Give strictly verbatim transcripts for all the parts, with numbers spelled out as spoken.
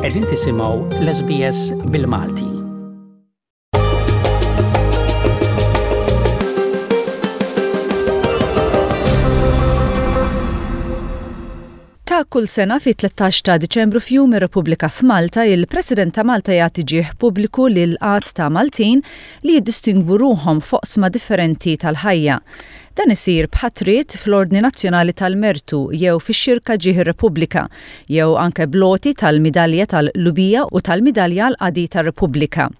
Qegħdin tisimgħu l-S B S bil-Malti. Ta' kull sena fi tlettax ta' Diċembru, f'Jum ir-Repubblika f'Malta, il-President ta' Malta jagħti ġieħ pubbliku lil għadd ta' Maltin li jiddistingwu ruħhom f'oqsma differenti tal-ħajja. Dan isir b'ħatriet fl-Ordni Nazzjonali tal-Mertu jew fix-Xirka Ġieħ ir-Repubblika jew anke bl-għoti tal-Midalja tal-Qlubija u tal-Midalja għall-Qadi tar-Repubblika.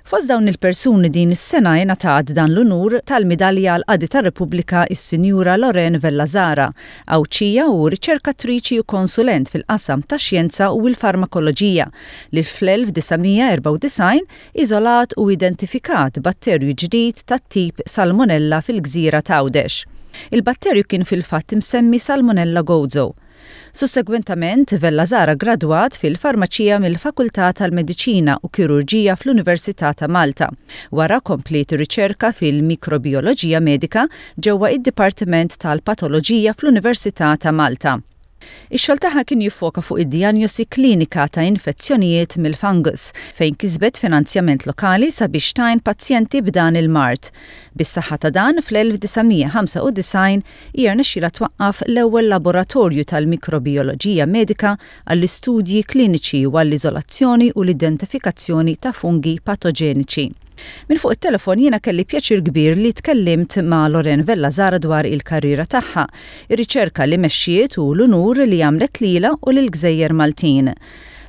Fost dawn il-persuni din is-sena ingħatat dan l-unur tal-Midalja għall-Qadi tar-Repubblika is-Sinjura Loren Vella Zahra, Għawdxija u riċerkatriċi u konsulent fil-qasam tax-xjenza u l-farmakoloġija li fl-elf disa' mija erbgħa u disgħin iżolat u identifikat batterju ġdid tat-tip Salmonella fil-gżira t'Għawdex. Il-batterju kien fil-fatt imsemmi Salmonella Gozo. Sussegwentament, Vella Zahra gradwat fil-farmaċija mill-Fakultà tal-Mediċina u Kirurġija fl-Università ta' Malta. Wara kompliet riċerka fil-mikrobioloġija medika ġewwa id-Dipartiment tal-Patoloġija fl-Università ta' Malta. Ix-xogħol tagħha kien jiffoka fuq id-dijanjosi klinika ta' infezzjonijiet mill-fungus, fejn kisbet finanzjament lokali sabiex tgħin pazjenti b'dan il-mard. Bis-saħħa ta' dan, fl-elf disa' mija ħamsa u disgħin hija rnexxielha twaqqaf l-ewwel laboratorju tal-mikrobioloġija medika għall-istudji kliniċi u għall-iżolazzjoni u l-identifikazzjoni ta' fungi patoġeniċi. Minn fuq it-telefon jiena kelli pjaċir kbir li tkellimt ma' Loren Vella Zahra dwar il-karriera tagħha, ir-riċerka li mexxiet u l-unur li għamlet lila u lill-Gżejjer Maltin.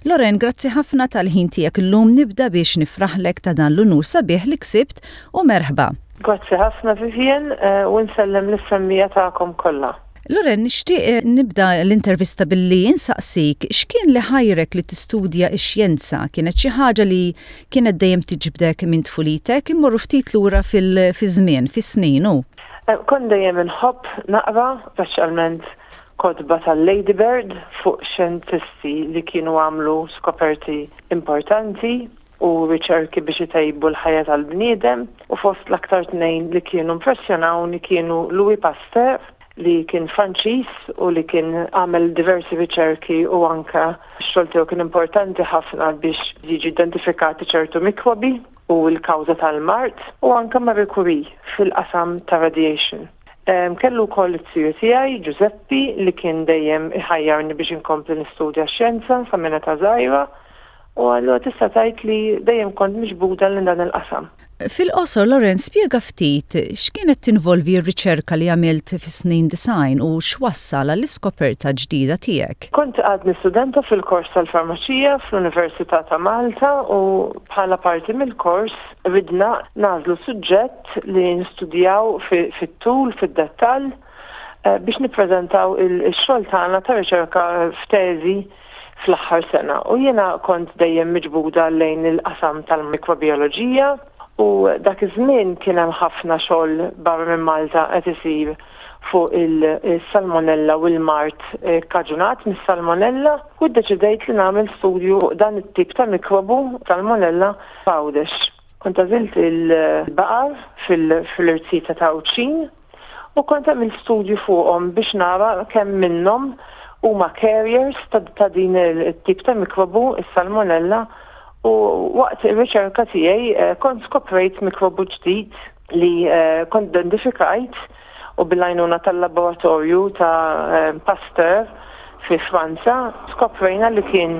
Loren, grazzi ħafna tal-ħin tiegħek illum. Nibda biex nifraħlek ta' dan l-unur sabiħ li ksibt u merħba. Grazzi ħafna, Vivian, eh, u nsellem lis-semmiegħa tagħkom kollha. Loren, nixtieq eh, nibda l-intervista billi insaqsik x'kien li ħajrek li tistudja x-xjenza? Kienet xi ħaġa li kienet dejjem tiġbdek minn tfulitek? Immorru ftit lura fil-żmien, fis-snin u. Eh, kont dejjem inħobb naqra, speċjalment kotba tal-Lady Bird fuq xjentisti li kienu għamlu skoperti importanti u riċerki biex itejbu l-ħajja tal-bniedem, u fost l-aktar tnejn li kienu impressjonawni kienu Louis Pasteur, li kien Franċiż u li kien għamel diversi riċerki u anka x-xogħol tiegħu kien importanti ħafna biex jiġi identifikati ċertu mikrobi u l-kawża tal-mard, u anka Marie Curie fil-qasam ta' radiation. Um, kellu wkoll it-tiju tiegħi, Giuseppi, li kien dejjem iħajjarni biex inkompli nistudja xjenza sa minn età żgħira, u allura tista' tgħid li dejjem kont miġbuda lejn dan il-qasam. Fil-qosor, Loren, spjega ftit x'kienet tinvolvi r-riċerka li għamilt fis-snin disgħin u x'wassal għall-iskoperta ġdida tiegħek. Kont għadni studenta fil-kors tal-farmaċija fl-Università ta' Malta u bħala parti mill-kors ridna nagħżlu suġġett li nistudjaw fit-tul, fid-dettall, eh, biex nippreżentaw il-xogħol tagħna ta' riċerka f'teżi fl-aħħar sena. U jiena kont dejjem miġbuda lejn il-qasam tal-mikrobioloġija u dak iż-żmien kien hemm ħafna xogħol barra minn Malta qed isir fuq il-salmonella u l-mard eh, kaġunat mis-salmonella, u ddeċidejt li nagħmel studju fuq dan it-tip ta' mikrobu salmonella f'Għawdex. Kont għażilt il-baqar fil-irziezet ta' Għawdxin u kont għamilt studju fuqhom biex nara kemm minnhom huma carriers ta' din it-tip ta' mikrobu, is-salmonella, u waqt ir-riċerka tiegħi eh, kont skoprejt mikrobu ġdid li eh, kont identifikajt u bil-għajnuna tal-laboratorju ta' eh, Pasteur fi Franza skoprejna li kien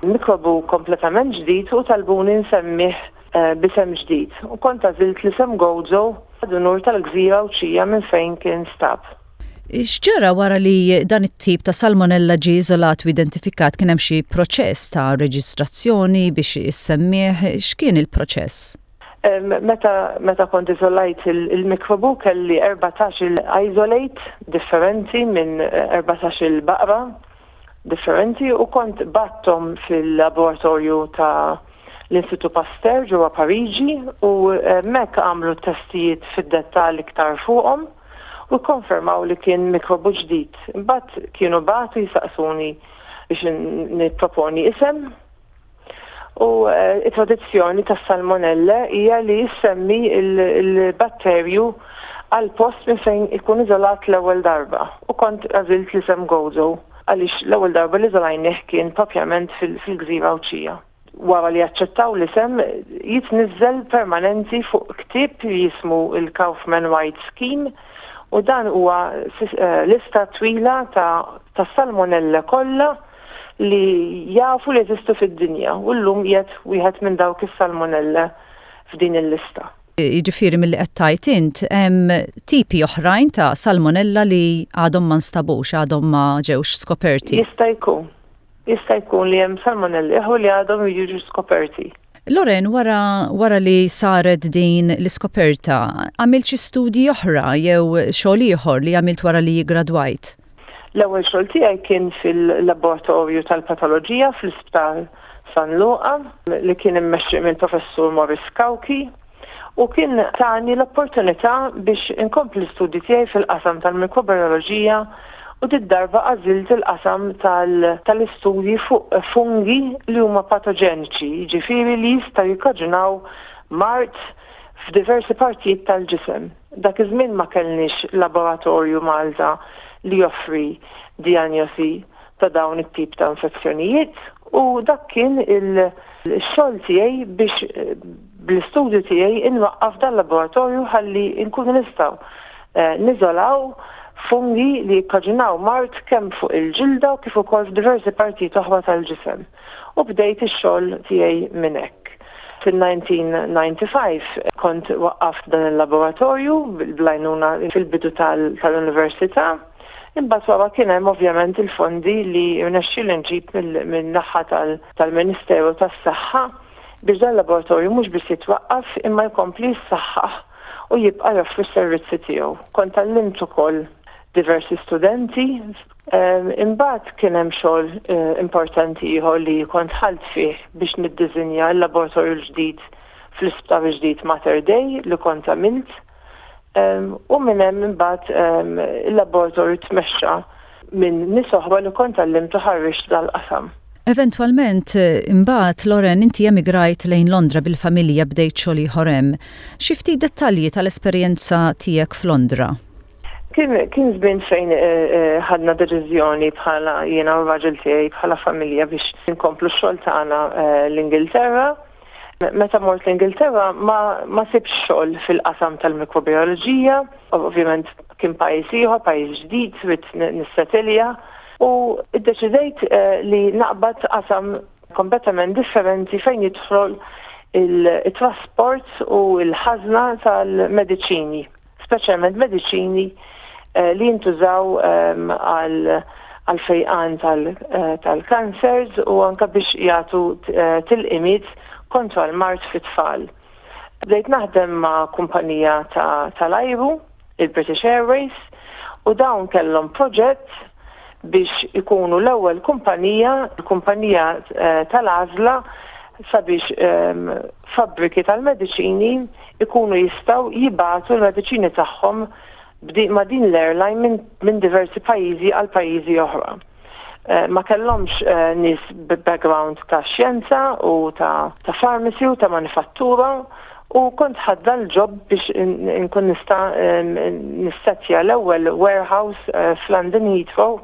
mikrobu kompletament ġdid u talbuni nsemmih b'isem ġdid. U kont għażilt l-isem Gozo b'unur tal-gżira Għawdxija minn fejn kien stab. X'ġara wara li dan it-tip ta' salmonella ġie iżolat u identifikat? Kien hemm xi proċess ta' reġistrazzjoni biex issemmih? X'kien il-proċess? Meta, meta kont iżolajt il-mikrobu kelli erbatax il-isolate differenti minn erbatax il-baqra differenti u kont bgħatthom fil-laboratorju ta' l-Istitut Pasteur ġewwa Pariġi u hemmhekk għamlu testijiet fid-dettall iktar fuqhom u konfermaw li kien mikrobu ġdid. Imbagħad kienu bagħtu jisaqsuni biex nipproponi isem. U eh, it-tradizzjoni tas salmonella hija li jissemmi il-batterju għal post minn fejn ikun iżolat l-ewwel darba. U kont għażilt l-isem Gozo. għaliex l-ewwel darba li żolajnih kien propjament fil-gżira Għawdxija. Wara li aċċettaw l-isem, jitniżżel permanenti fuq ktieb jismu il-Kaufman White Scheme, u dan huwa eh, lista twila ta', ta salmonella kollha li jafu li jeżistu fid-dinja, u llum qiegħed wieħed minn dawk is-salmonella f'din il-lista. Jiġifieri, milli qed tgħid int, hemm tipi oħrajn ta' salmonella li għadhom ma nstabux, għadhom ma ġewx skoperti. Jista' jkun. Jista' jkun li hemm salmonelli oħra li għadhom jiġu skoperti. Loren, wara, wara li saret din l-iskoperta, għamilt xi studji oħra jew xogħol ieħor li għamilt wara li gradwajt? L-ewwel xogħol tiegħi kien fil-laboratorju tal-patoloġija fl-Isptar San Luqa, li kien immexxi minn Professur Morris Cauchi, u kien tani l-opportunità biex inkompli l-istudji tiegħi fil-qasam tal-mikrobioloġija, u did-darba għażilt il-qasam tal-istudji fuq fungi li huma patoġeniċi, jiġifieri li jistgħu jikkaġunaw mard f'diversi partijiet tal-ġisem. Dak iż-żmien ma kellniex laboratorju Malta li joffri diagnosi ta' dawn it-tip ta' infezzjonijiet, u dak kien il-xogħol tiegħi biex bl-istudju tiegħi inwaqqaf dan laboratorju ħalli nkunu nistgħu eh, niżolaw fungi li jikkaġunaw mard kemm fuq il-ġilda u kif ukoll f'diversi partijiet oħra tal-ġisem. U bdejt ix-xogħol tiegħi minn hekk. Fil-elf disa' mija u disgħa u disgħin kont waqqaft dan il-laboratorju bl-għajnuna fil-bidu tal-università. Imbagħad wara kien hemm ovvjament il-fondi li rnexxieli nġib min-naħa tal-Ministeru tas-Saħħa biex dan il-laboratorju mhux biss jitwaqqaf, imma jkompli jissaħħaħ u jibqa' joffri s-servizzi tiegħu. Kont għallimt ukoll diversi studenti. Imbagħad kien hemm xogħol eh, importanti ieħor li kont dħalt fih biex niddiżinja l-laboratorju l-ġdid fl-isptar ġdid Mater Dei li kont għamilt. U minn hemm imbagħad il-laboratorju tmexxa minn nies oħra li kont għallimt u ħarriġt dal-qasam. Eventwalment, imbagħad, Loren, inti emigrajt lejn Londra bil-familja, bdejt xogħol ieħor hemm. Xi ftit dettalji tal-esperjenza tiegħek f'Londra? Kien, kien żmien fejn eh, eh, ħadna deċiżjoni bħala jiena u r-raġel tiegħi, bħala familja, biex nkomplu x-xogħol tagħna eh, l-Ingilterra. Meta mort l-Ingilterra ma, ma sibx xogħol fil-qasam tal-mikrobioloġija, ovvjament kien pajjiż ieħor, pajjiż ġdid, ridt nissetilja, u iddeċidejt li naqbad qasam kompletament differenti fejn jidħol il-trasport u l-ħażna tal-mediċini, speċjalment mediċini Eh, li jintużaw ehm, għal fejqan eh, tal-cancers u anka biex jagħtu eh, tilqimiet kontra l-mard fit-tfal. Bdejt naħdem ma' kumpanija tal-ajru, il-British Airways, u dawn kellhom proġett biex ikunu l-ewwel kumpanija, kumpanija tal-għażla sabiex ehm, fabbriki tal-mediċini ikunu jistgħu jibagħtu l-mediċini tagħhom ma' din l-airline minn min diversi pajjiżi għal pajjiżi oħra. Eh, ma kellhomx uh, nies background ta' xjenza u ta', ta' pharmacy u ta' manifattura, u kont ħadt l-job biex nkun nista' nissettja l-ewwel warehouse uh, f'London Heathrow,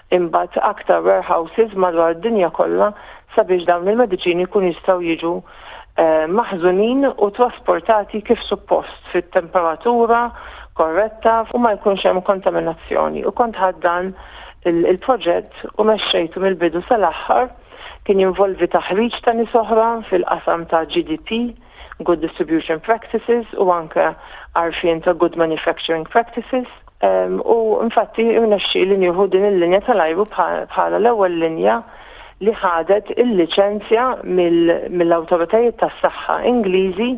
imbagħad aktar warehouses madwar id-dinja kollha, sabiex dawn il-mediċini jkun jistgħu jiġu maħżunin u trasportati kif suppost fit-temperatura korretta u ma jkunx hemm kontaminazzjoni. U kont ħadt dan il-proġett u mexxejtu mill-bidu sal-aħħar. Kien jinvolvi taħriġ ta' nies oħra fil-qasam ta' G D P, Good Distribution Practices, u anke għarfien ta' Good Manufacturing Practices. Um, u infatti irnexxieli nieħu din il-linja tal-ajru bħala l-ewwel linja li ħadet il-liċenzja mill-awtoritajiet tas-saħħa Ingliżi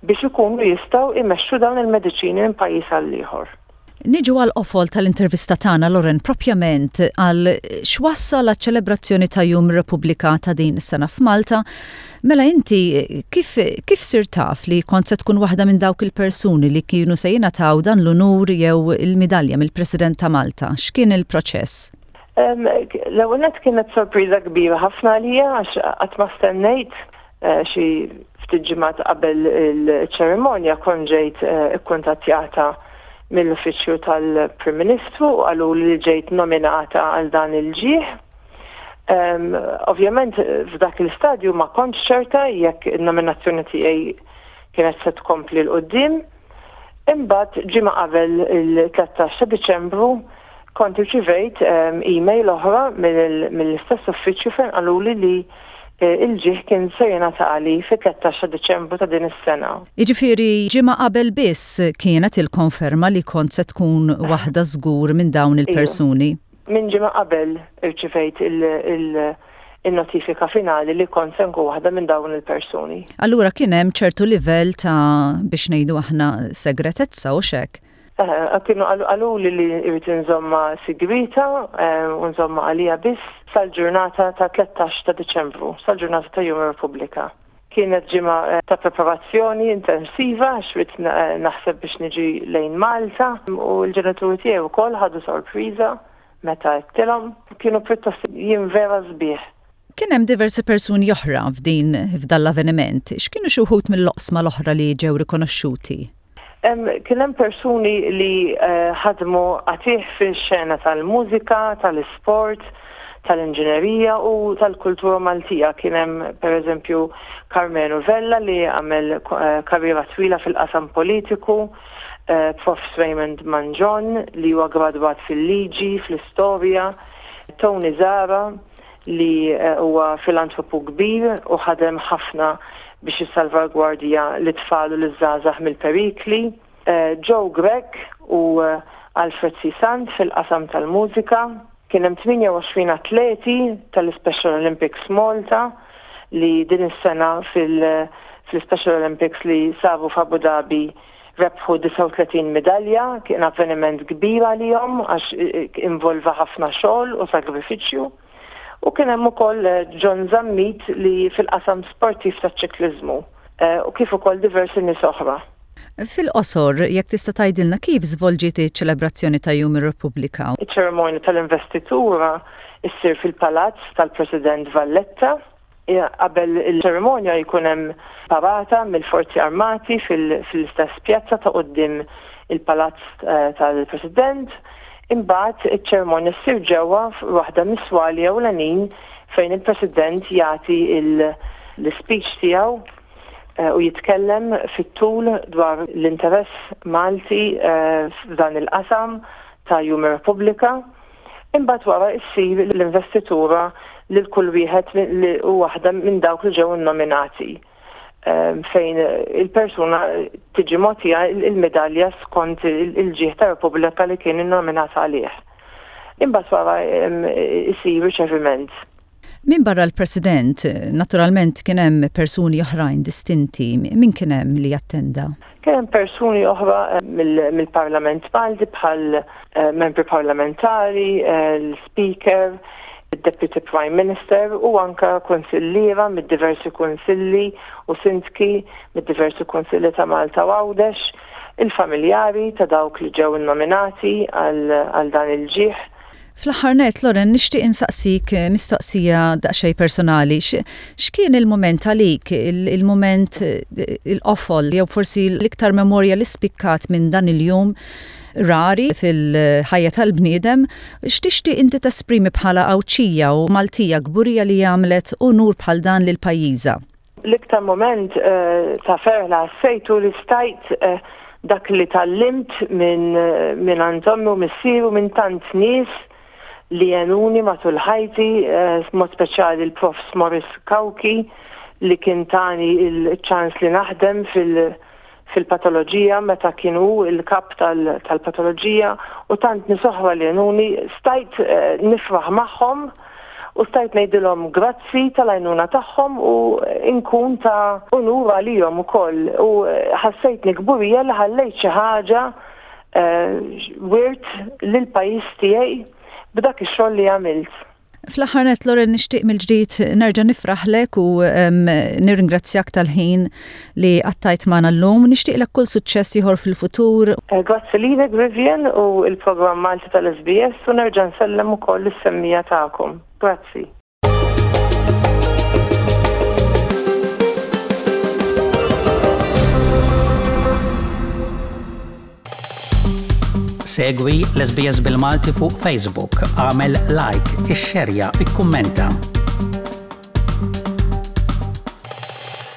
biex ikunu jistgħu imexxu dawn il-mediċini minn pajjiż għal ieħor. Niġu għal qofol tal-intervista tagħna, Loren, propjament għal x'wassal għaċ-ċelebrazzjoni ta' Jum Repubblika ta' din is-sena f'Malta. Mela inti kif, kif sirt taf li kont se tkun waħda minn dawk il-persuni li kienu se jingħataw dan l-unur jew il-midalja mill-President ta' Malta? X'kien il-proċess? L-ewwel kienet sorpriża kbira ħafna għalija għax qatt ma stennejt. eh, xi ftit ġimgħat qabel il-ċerimonja kont ġejt eh, ikkuntattjata mill-Uffiċċju tal-Prim Ministru u qalu li ġejt nominata għal dan il-ġieħ. Um, ovvjament f'dak il-stadju ma kontx ċerta jekk il-nominazzjoni tiegħi kienet se tkompli 'l quddiem. Imbagħad ġimgħa qabel il-tlettax ta' Diċembru kont irċivejt um, email oħra mill-istess uffiċċju fejn qaluli li eh, il-ġieħ kien se jingħatali fit-tlettax ta' Diċembru ta' din is-sena. Jiġifieri ġimgħa qabel biss kienet il-konferma li kont se tkun waħda żgur minn dawn Iva. il-persuni. Minn ġimgħa qabel irċivejt il-notifika finali li kont se nkun waħda minn dawn il-persuni. Allura kien hemm ċertu livell ta' biex ngħidu aħna segretezza u xek. Eh, kienu qaluli li irrid inżommha sigrita eh, u nżommha għalija biss sal-ġurnata ta' tlettax ta' Diċembru, sal-ġurnata ta' Jum Repubblika. Kienet ġimgħa eh, ta' preparazzjoni intensiva għax ridt naħseb biex niġi lejn Malta u l-ġenituri tiegħi wkoll ħadu sorpriża meta għedtilhom. Kienu pjuttost jiem vera sbieħ. Kien hemm diversi persuni oħra f'din f'dan l-avveniment. X'kienu xi wħud mill-oqsma l-oħra li ġew rikonoxxuti? Kien hemm persuni li eh, ħadmu qatigħ fil-xena tal-mużika, tal-isport, tal-inġinerija u tal-kultura Maltija. Kien hemm pereżempju Karmenu Vella li għamel eh, karriera twila fil-qasam politiku, eh, Prof Raymond Mangion li huwa gradwat fil-liġi, fl-istorja, Tony Zara li huwa filantropu kbir u ħadem ħafna biex jissalvagwardja l-tfal u l-żgħażagħ mill-perikli, eh, Joe Grech u eh, Alfred C. Sant fil-qasam tal-mużika, kien hemm tmienja u għoxrin atleti tal-Special Olympics Malta li din is-sena fil-Special Olympics li saru f'Abu Dhabi rebħu disgħa u tletin medalja, kien avveniment kbir għalihom għax eh, involva ħafna xogħol u sagrifiċċju. U kien hemm ukoll eh, John Zammit li fil-qasam sportiv taċ-ċikliżmu eh, u kif ukoll diversi nies oħra. Fil-qosor, jekk tista' tgħidilna kif żvolġiet iċ-ċelebrazzjoni ta' Jum ir-Repubblika? Iċ-ċerimonja tal-investitura issir fil-Palazz tal-President Valletta. Qabel il-ċerimonja jkun hemm parata mill-Forzi Armati fil-istess pjazza ta' quddiem il-Palazz eh, tal-President. Imbagħad iċ-ċerimonja ssir ġewwa waħda mis-swali ewlenin fejn il-President jagħti l-speech tiegħu eh, u jitkellem fit-tul dwar l-interess Malti eh, f'dan il-qasam ta' Jum Repubblika. Imbagħad wara issir l-investitura lil kull wieħed u waħda minn dawk li ġew nominati fejn il-persuna tiġi mogħtija il-medalja skont il-ġieħ ta' Repubblika li kien innominat għalih. Imbagħad wara isir riċeviment. Min barra l-President, naturalment kien hemm persuni oħrajn distinti, min kien hemm li attenda? Kien hemm persuni oħra mill-Parlament Malti bħal eh, membri parlamentari, eh, l-Speaker, il-Deputy Prime Minister u anka konsilliera mid-diversi konsilli u sindki mid-diversi konsilli ta' Malta u Għawdex, il-familjari ta' dawk li ġew nominati għal dan il-ġieħ. Fl-aħħar net, Lauren, nixtieq insaqsik eh, mistoqsija daqsxejn personali. X'kien il-moment għalik, il-moment eh, il-qofol, jew forsi l-iktar memorja li spikkat minn dan il-jum rari fil-ħajja tal-bniedem, x'tixtieq inti tesprimi bħala Għawdxija u Maltija kburija li għamlet unur bħal dan lil pajjiżha? L-iktar moment eh, ta' ferħ li ħassejtu li stajt dak li tgħallimt minn minn għand ommi u missieri u minn tant nies li għenuni matul ħajti, eh, mod speċjali l-Prof Morris Cauchi li kien tani il-ċans li naħdem fil- fil-patoloġija meta kienu il-kap tal-patoloġija u tant nies oħra li għenuni stajt eh, nifraħ magħhom u stajt ngħidilhom grazzi tal-għajnuna tagħhom u nkun ta' unur għalihom ukoll u eh, ħassejtni kburija li ħallejt xi ħaġa wirt lil pajjiż tiegħi b'dak ix-xogħol li għamilt. Fl-aħħar net, Lauren, nixtieq mill-ġdid nerġa' nifraħlek u nirringrazzjak tal-ħin li qattajt magħna llum. Nixtieqlek kull suċċess ieħor fil-futur. Eh, grazzi lilek, Vivian, u il-programm Malti tal-S B S u nerġa' nsellem ukoll is-semmiegħa tagħkom. Grazzi. Segwi l-S B S bil-Malti fuq Facebook, agħmel like, ixxerja, ikkummenta.